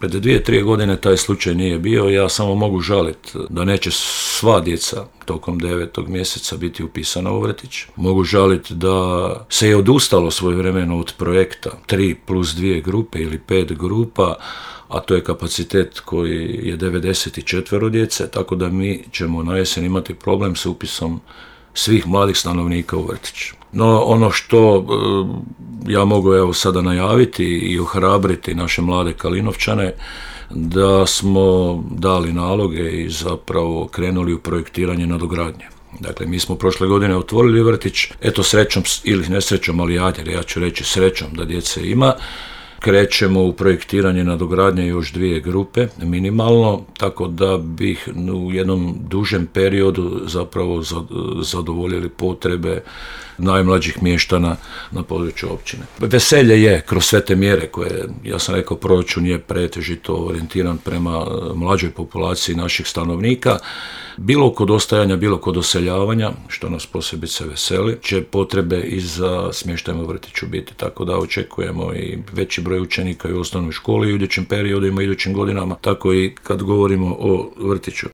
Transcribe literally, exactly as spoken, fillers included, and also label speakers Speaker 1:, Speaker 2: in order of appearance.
Speaker 1: Pred dvije, tri godine taj slučaj nije bio, ja samo mogu žaliti da neće sva djeca tokom devetog mjeseca biti upisana u vrtić. Mogu žaliti da se je odustalo svojevremeno od projekta tri plus dvije grupe ili pet grupa, a to je kapacitet koji je devedeset četiri djece, tako da mi ćemo na jesen imati problem s upisom svih mladih stanovnika u vrtić. No ono što e, ja mogu evo sada najaviti i ohrabriti naše mlade Kalinovčane, da smo dali naloge i zapravo krenuli u projektiranje nadogradnje. Dakle, mi smo prošle godine otvorili vrtić, eto srećom ili nesrećom, ali ajde, ja ću reći srećom da djece ima. Krećemo u projektiranje nadogradnje još dvije grupe, minimalno, tako da bih u jednom dužem periodu zapravo zadovoljili potrebe najmlađih mještana na području općine. Veselje je kroz sve te mjere koje, ja sam rekao, proračun je pretežito orijentiran prema mlađoj populaciji naših stanovnika. Bilo kod ostajanja, bilo kod doseljavanja, što nas posebice veseli, će potrebe i za smještajem u vrtiću biti, tako da očekujemo i veći broj učenika i u osnovnoj školi u idućim periodima, idućim godinama, tako i kad govorimo o vrtiću.